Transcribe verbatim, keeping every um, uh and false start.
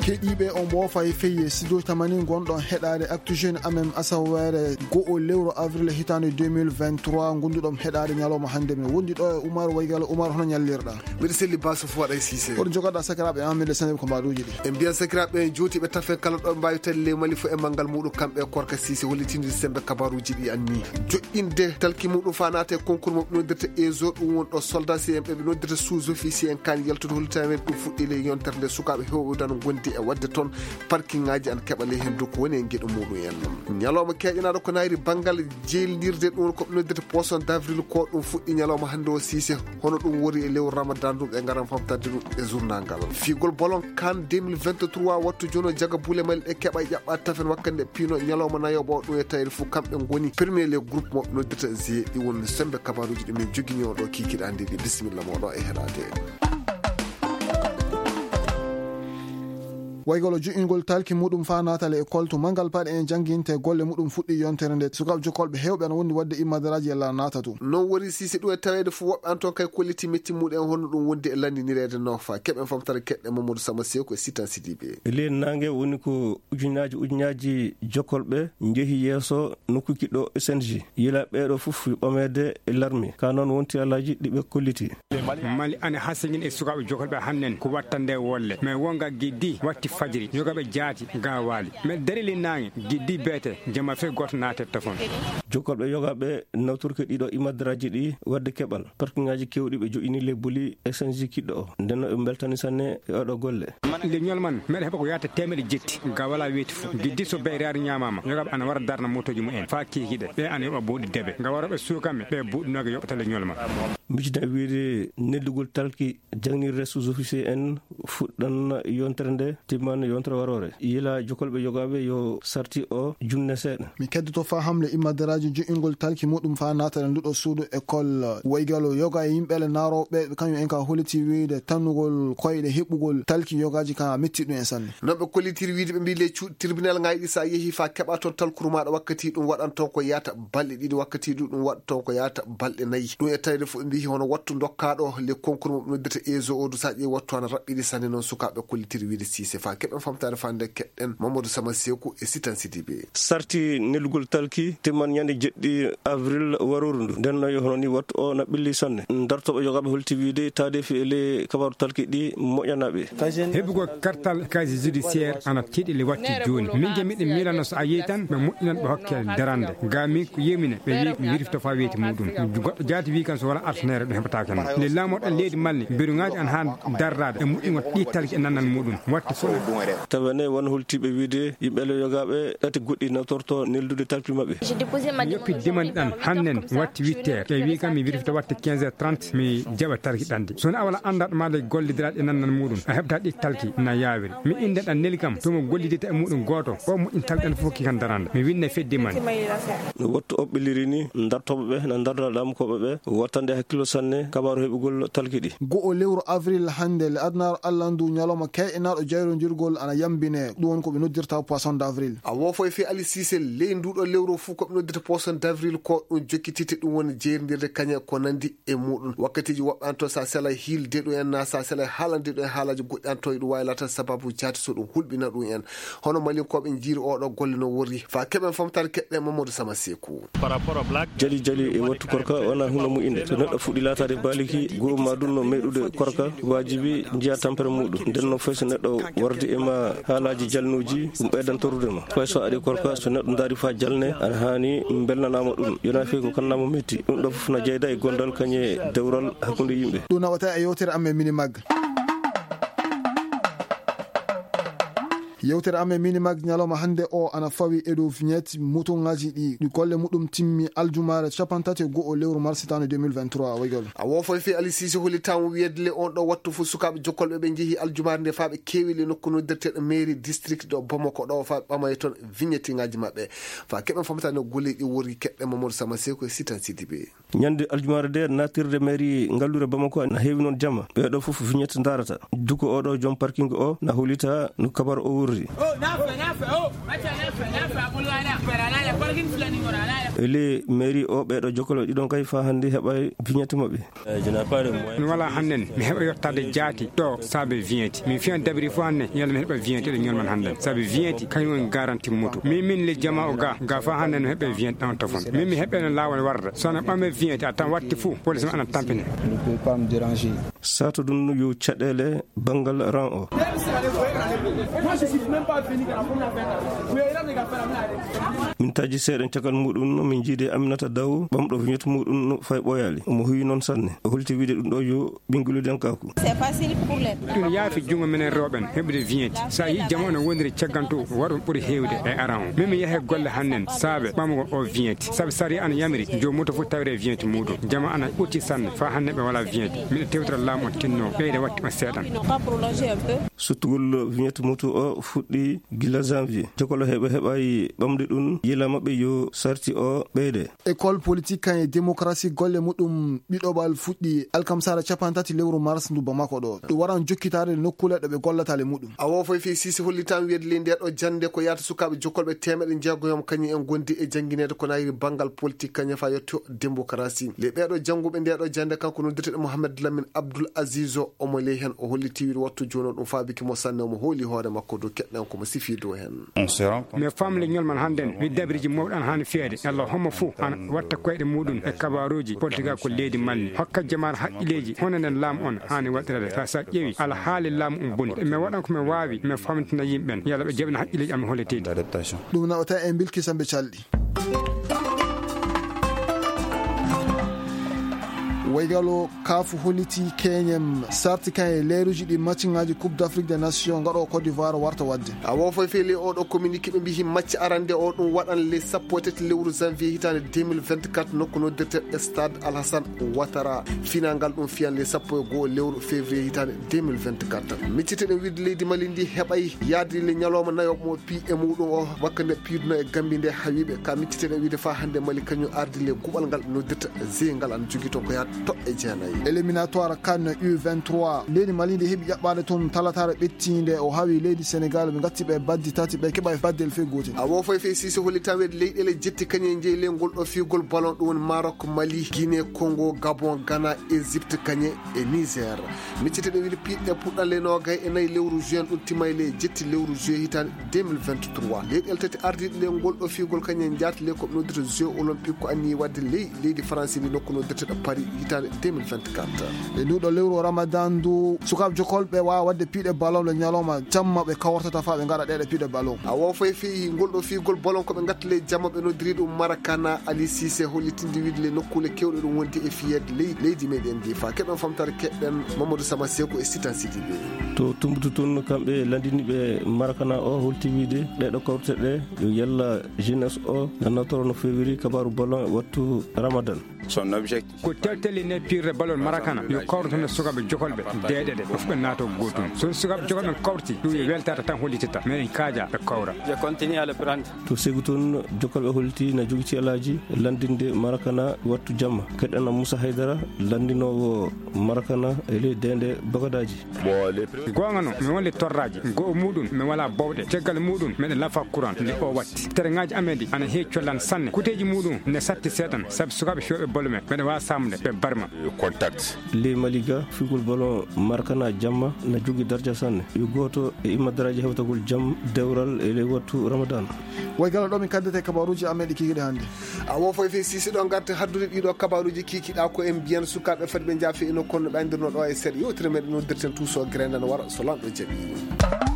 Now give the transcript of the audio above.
Keɗiiɓe, on mboofa e feye studio tamani gonɗon heɗaade Actu Jeune Amem, asaweere go'o lewru avril hitaande deux mille vingt-trois, ngonduɗon heɗaade ñalawma hannde. Men wondi ɗo e Umar Waygalo. Umar, hono ñallirɗaa? Mbiɗa selli, Basu, fof waɗa e Siise. Hoto jogoɗaa sakiraaɓe amen, le sene ko mbaɗuuji ɗi. En mbiyan sakiraaɓe en juuti ɓe tafen kala ɗo ɓe mbaawi tawi le Mali fof e manngal muɗum, kamɓe e Korka Siise, hollitindiri semmbe kabaaruuji ɗi anni. Joɗɗinde talki muɗum faa naata e concours mo ɓe noddirta E S O, ɗum woni ɗo soldat C M ɓe ɓe noddirta sous-officier en kan yaltude hollitamen ɗum fuɗɗi le yontere nde. Sukaaɓe heewɓe dano ngondi e waɗde toon parking ŋaaji ana keɓa le henndu ko woni e geɗe muɗum en. Ñalawma keeƴanaaɗo ko naayri banngal jeylirde ɗum ko ɓe noddirta poisson d'avril ko ɗum fuɗɗi ñalawma hannde o Siise. Hono ɗum wori e lewru Ramadan ɗum ɓe ngaran famtande ɗum e journal ngal. Fiigol bolon kan deux mille vingt-trois wattu jono jaga bule Mali ɗe keɓa ƴaɓɓa tafen wakkande pino ñalawma nayoɓo o ɗum e tawede fof kamɓe ngoni premier le groupe mo ɓe noddirta G ɗi woni semmbe kabaaruuji ɗi min jogini o ɗo kikiɗe anndi ɗi. Bisimilla mo ɗo e heɗaade. Waygolo ju'ingol talki muɗum faa naatale e koltu manngal paɗe en jannginte golle muɗum fuɗɗi yontere nde. Sukaaɓe jokkolɓe heewɓe ana wondi waɗde immadaraaji yalla naata tun. Non wori Siise ɗum e taweede fof woɓɓe an toon kay kolliti metti muɗum en hono ɗum wondi e lanndinireede noofa. Keɓen famtare keɗɗe Mamadou Sama Seeku e Sitan Sidibe. Leen naange woni ko ujunnaaji ujunnaaji jokkolɓe njehi yeeso nokku kiɗɗo S N G. Yila ɓeeɗo fof ɓameede e larmi. Ka noon wonti alaaji ɗi ɓe kolliti. Mali ana hasingin e sukaaɓe jokolɓe hannen ko wattande wolle. Mais wonga giddi watti fajiri, yogaɓe jaati, gawaali. Mais darili naange, giddi beete, jama fe goto naatetta fon. Jokolɓe yogaɓe nawtorke ɗiɗo imadraji ɗi wadde keɓal. Parkingaji kewɗi ɓe joƴini le boli S N G kiɗɗo o. Ndenno ɓe beltani sanne e oɗo golle. Nde ñolman, meɗa heɓa ko yahata teemeɗe jetti. Ga wala weeti fof. Giddi so beyrari ñamama, yogaɓe ana wara darna motoji mumen. Fa kikiɗe, ɓe ana yoɓa buuɗi debe. Ga waroɓe suukaɓe, ɓe buuɗinoga yoɓata le ñolman. Mijina wiide neldugol talki jangnirde sous-officier en fuɗɗan yontere nde, timman yontere warore. Yila jokolɓe yogaɓe yo sarti o jumne seeɗa. Mi keddoto fa hamle immadaraaji jo'ingol talki muɗum fa naatana nduɗo suudu école Waygalo yoga e yimɓe le naarooɓe ɓe kañum en ka holiti wiide tannugol koyɗe heɓugol talki yogaji ka metti ɗum en sanne. Non ɓe kollitiri wiide ɓe mbi le cu-, tribunal ngayɗi sa yehi fa keɓa toon talkuru maɗa wakkati ɗum waɗan toon ko yata balɗe ɗiɗi wakkati ɗum ɗum waɗa toon ko yata balɗe nayi. Ɗum e tawde fof ɓe mbi hono wattu dokkaɗo le concours mo ɓe noddata ezo o du sa ƴeewi wattu ana raɓɓiɗi sanne non sukaaɓe kollitiri wiide Siise fa keɓen famtare fa nde keɗɗen Mamadou Sama Seeku e Sitan Sidibe. Sarti nelugol talki timman ñande jeɗɗi avril warooru ndu. Nden no yo hono ni wattu o na ɓilli sanne. Dartoɓe yogaɓe holti wiide taadefi e le kabaru talki ɗi moƴanaɓe. Heɓugol kartal casier judiciaire ana tiiɗi le watti jooni. Min ke miɗen miilano so a yehi tan ɓe moƴƴinan ɓe hokke darande. Ga min ko yemine ɓe wi mi wirifto fa weeti muɗum. Goɗɗo jaati wi kan so wala artanere ɗum heɓataake non. Nde laamoɗo leydi Mali mbiruŋaaji an haa darraade e moƴƴugol ɗi talki e nannal muɗum. Watte fof. Tawene won holtiiɓe wiide yimɓe le yogaɓe ɗati goɗɗi nawtorto neldude talki maɓɓe. Mi yoppi demande ɗan hannen watti huit heures. Ɓe wi kam mi wirfita watte quinze heures trente mi jaɓa talki ɗan de. So a wala anndaɗo ma le gollidiraɗo e nannal muɗum, a heɓta ɗi talki na yawiri. Mi inda ɗan neli kam, to mo gollidita e muɗum gooto, o moƴƴin talki ɗan fof ki kan darande. Mi winna fedde man. No wattu o ɓilliri ni, dartoɓe ɓe, na darda ɗamkoɓe ɓe, wattande hakkillo sanne, kabaru heɓugol talki ɗi. Go'o lewru avril hannde, le adnaaru Allah ndu ñalawma keeƴanaaɗo jayrondirgol ana yambine. Ɗum woni ko ɓe noddirta poisson d'avril. A woofo e fii Ali Siise ley nduɗo lewru fuu ko ɓe noddirta poisson d'avril ko ɗum jokkitite ɗum woni jeerndirde kañe ko nandi e muɗum. Wakkatiiji woɓɓe an to sa sela hiilde ɗum en na sa sela haalande ɗum en haalaaji goɗɗi an to ɗum waawi laata sababu jaati so ɗum hulɓina ɗum en. Hono Malinkooɓe njiiri oɗo golle no worri. Fa keɓen famtaare keɗɗe Mamadou Sama Seeku. Jali jali e wattu korka wona hunde mu'inde. So neɗɗo fuɗɗi laataade baaliki, goo ma ɗum no meɗude korka, waajibi njiya tampere muɗum. Nden no fay so neɗɗo wardi e ma haalaaji jalnuuji, ɗum ɓeydan torrude ma. Fay so aɗi korka, so neɗɗo ndaari faa jalne, ana haani mbelnanaama ɗum. Yona fii ko kannamo metti. Ɗum ɗo fof na jeyda e gondal kañe dewral hakkunde yimɓe. Ɗum nawata e yewtere amen Minimag. Yewtere amen Minimag ñalawma hannde o ana fawi e dow vignette motoŋaaji ɗi, ɗi golle muɗum timmi aljumaare cappanɗe tati e go'o lewru mars hitaande deux mille vingt-trois. Waygol. A woofo e fii Ali Siise hollitaama wiyeede le on ɗo wattu fof sukaaɓe jokkolɓe ɓe njehi aljumaare nde faa ɓe keewi le nokku noddirteeɗo mairie district ɗo Bamako ɗo faa ɓe ɓamay toon vignetteŋaaji maɓɓe. Faa keɓen famtaade no golle ɗi worri keɗɗe Mamadou Sama Seeku e Sitan Sidibe. Ñande aljumaare nde, naatirde mairie ngallure Bamako na heewi noon jama. Ɓee ɗoo fof vignette ndaarata. Duko oo ɗoo joom parking oo na hollita no kabaru oo worri. E ley mairie o, ɓeeɗo jokkol ɓe ɗiɗon kay faa hannde heɓaay vignette maɓɓe. Mi walaa hannden, mi heɓa yottaade jaati ɗo saabe vignette. Min fiyan dabiri fof hannden, yalla mi heɓa vignette ɗo ñolman hannden. Saabe vignette, kañum woni garanti moto. Min, min le jama o ga, ga faa hannden mi heɓa vignette ɗon to fon. Min mi heɓa no laawol warda. So ana ɓame vignette, a tan watti fof, police ma ana tampine. Sato ɗum yo caɗeele banngal ran o. Min taji seeɗen cakal muɗum, min jiidi Aminata Daw, ɓamɗo vignette muɗum no fay ɓooyaali. Omo huwi noon sanne. O holti wiide ɗum ɗo yo ɓinnguludenkaaku. Ɗum yaafi junngo minen rewɓen heɓude vignette. So a yii jama ono wondiri cagganto, waɗ on ɓuri heewde e aran o. Min mi yahe golle hannden saabe ɓamugol o vignette. Sabe sariya ana yamiri, joom moto fof tawre vignette muɗum. Jama ana ɓurti sanne, faa hannden ɓe walaa vignette. Miɗo tewtora laamu on tinno, ɓeyda watti on seeɗan. Suttugol vignette moto o fuɗɗi gila janvier. Jokkol heɓe heɓaay ɓamde ɗum, yila maɓɓe yo sarti o ɓeyde. École politique kan e démocratie golle muɗum ɗiɗoɓal fuɗɗi alkamsara capanɗe tati lewru mars ndu Bamako ɗo. Ɗum waran jokkitaade nokkuule ɗo ɓe gollata le muɗum. A wofo e fii sisi hollitan wiyde ley nde ɗo jannde ko yaata sukaaɓe jokkolɓe teemeɗe jeegoyom kañum en gondi e janngineede ko nayri banngal politique kañum fa yetto démocratie. Le ɓeeɗo jannguɓe nde ɗo jannde kanko noddirteɗo Mohamed Lamine Abdoul Aziz o, omo ley heen o holliti wiyde wattu jooni o ɗum faabiki mo sanne, omo hooli hoore makko dow keɗɗen ko mo sifi dow heen. Mais famle ñolman hannden mi dabiriji mawɗi an haani fiyede. Yalla hommo fof an watta koyɗe muɗum e kabaruji politique ko leydi Mali. Hokka jamaar haqqileji hono nden laamu on haani waɗirede. Sa, sa ƴeewi alhaali laamu um boni. Mi waɗan ko mi waawi, mi famtina yimɓen. Yalla ɓe jaɓina haqqileji am holleteɗi. Ɗum nawata e bilki sambe calɗi. Waygalo kaafu holliti keñem sarti kan e leeruji ɗi matchingaaji Coupe d'Afrique des Nations gaɗo Côte d'Ivoire warta waɗde. A wofo e fele oɗo communiqué ɓe mbihi match arande o ɗum waɗan le sappo e tati lewru janvier hitaande deux mille vingt-quatre nokku noddirte stade Alhassane Ouattara. Final ngal ɗum fiyan le sappo e go'o lewru février hitaande deux mille vingt-quatre. Micciteɗen wiide leydi Mali ndi heɓay yaade le ñalawma nayo mo pi e muɗum o wakka nde piiduno e Gambi nde hawiɓe ka micciteɗen wiide fa hannde Mali kañum ardi le guɓal ngal noddirta G ngal ana jogii toon ko yaata toɓɓe jeenayi. Éliminatoire CAN U vingt-trois. Leydi Mali ndi heɓi ƴaɓɓaade toon talataare ɓettiinde. O hawi leydi Sénégal, ɓe ngatti ɓe baddi tati, ɓe keɓa e baddel fee gootel. A wofo e fee sise holli tan weɗi leyɗeele jetti kañe jeyi le ngol ɗo fiigol ballon, ɗum woni Maroc, Mali, Guinée, Congo, Gabon, Ghana, Égypte, kañe e Niger. Miccete ɗo wili piɗɗe puɗɗan le noogay e nayi lewru juin ɗum timay le jetti lewru juillet hitaande deux mille vingt-trois. Leyɗeele tati ardiiɗe le ngol ɗo fiigol kañe njaati le ko ɓe noddita Jeux Olympiques ko anniyi waɗde ley leydi Faransi ndi nokku noddirteɗo Paris hitaande deux mille vingt-quatre. E nduɗo lewru Ramadan ndu, sukaaɓe jokolɓe waawa waɗde piiɗe ballon le ñalawma jamma ɓe kawrtata faa ɓe ngaɗa ɗeɗe piiɗe ballon. A wofo e fii ngol ɗo fiigol ballon ko ɓe ngatta le jamma ɓe noddiri ɗum Marakana. Ali Cissé hollitinde wiide le nokkuule kewɗe ɗum wondi e fiyeede ley leydi meɗen ndi. Faa keɗon famtare keɗɗen Mamadou Sama Seku e Sitan Sidibé. To Tumbutu tun kamɓe landiniɓe Marakana o holti wiide ɗeɗo kawrte ɗe yo yalla jeunesse o nannatoro no fewiri kabaru ballon e wattu Ramadan. Son objectif. Ko telteli ne pirre ballon Marakana yo kawrito no sukaaɓe jokolɓe deeɗeɗe o fuɗa naato gootum. So sukaaɓe jokolɓe kawrti ɗum yo weltata tan hollitata meɗen kaaja ɓe kawra. Je continue à le prendre. To segu toon jokolɓe holti na jogiti alaaji landinde Marakana wattu jamma. Keɗɗana Moussa Haydara landinoowo Marakana e ley deende bagadaaji. Goonga no mi wonde torraaji go'o muɗum mi wala bowɗe caggal muɗum meɗe lafa courant nde o watti. Terengaaji amen ɗi ana heewi collan sanne. Kuteeji muɗum ne satti seeɗan sabu sukaaɓe fiyooɓe ballon ɓe meɗe waawa saamude ɓe barma. Contact. Ley Mali ga figol ballon Marakana jamma na jogi darja sanne. Yo gooto e immadaraaji hewtagol jam dewral e ley wattu Ramadan. Way gala ɗo min kaddete kabaruuji amen ɗi kikiɗe hannde. A wofo e fii sisi ɗo ngarta haddude ɗiɗo kabaruuji kikiɗa ko en mbiyan sukaaɓe fadi ɓe njaafi ino kono ɓe anndirno ɗo e seeɗa yewtere meɗen noddirten tuuso grendan wara so lanɗo jaɓi.